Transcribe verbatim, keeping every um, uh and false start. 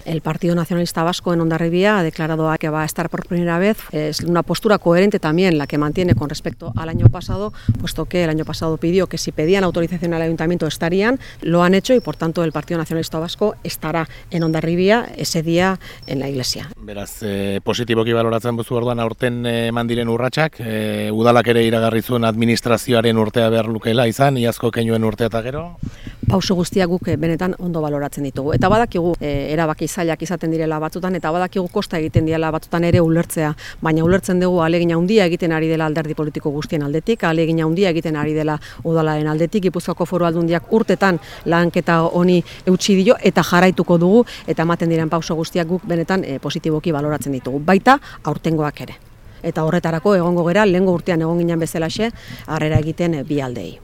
El Partido Nacionalista Vasco en Hondarribia ha declarado que va a estar por primera vez. Es una postura coherente también la que mantiene con respecto al año pasado, puesto que el año pasado pidió que si pedían autorización al ayuntamiento estarían, lo han hecho y por tanto el Partido Nacionalista Vasco estará en Hondarribia ese día en la iglesia. Beraz, eh, positiboki baloratzen duzu orduan aurten eman diren urratsak, eh, udalak ere iragarri zuen administrazioaren urtea behar lukeela izan, iazko keinuen urtea eta gero? Pauso guztiak guk benetan ondo baloratzen ditugu. Eta badakigu e, erabaki zailak izaten direla batzutan, eta badakigu kosta egiten direla batzutan ere ulertzea, baina ulertzen dugu ahalegin handia egiten ari dela alderdi politiko guztien aldetik, ahalegin handia egiten ari dela udalaren aldetik, Gipuzkoako Foru Aldundiak urtetan lanketa honi eutsi dio eta jarraituko dugu, eta ematen diren pauso guztiak guk benetan e, positiboki baloratzen ditugu, baita aurtengoak ere. Eta horretarako egongo gera, lehengo urtean egon ginen bezalaxe, harrera egiten bi aldei.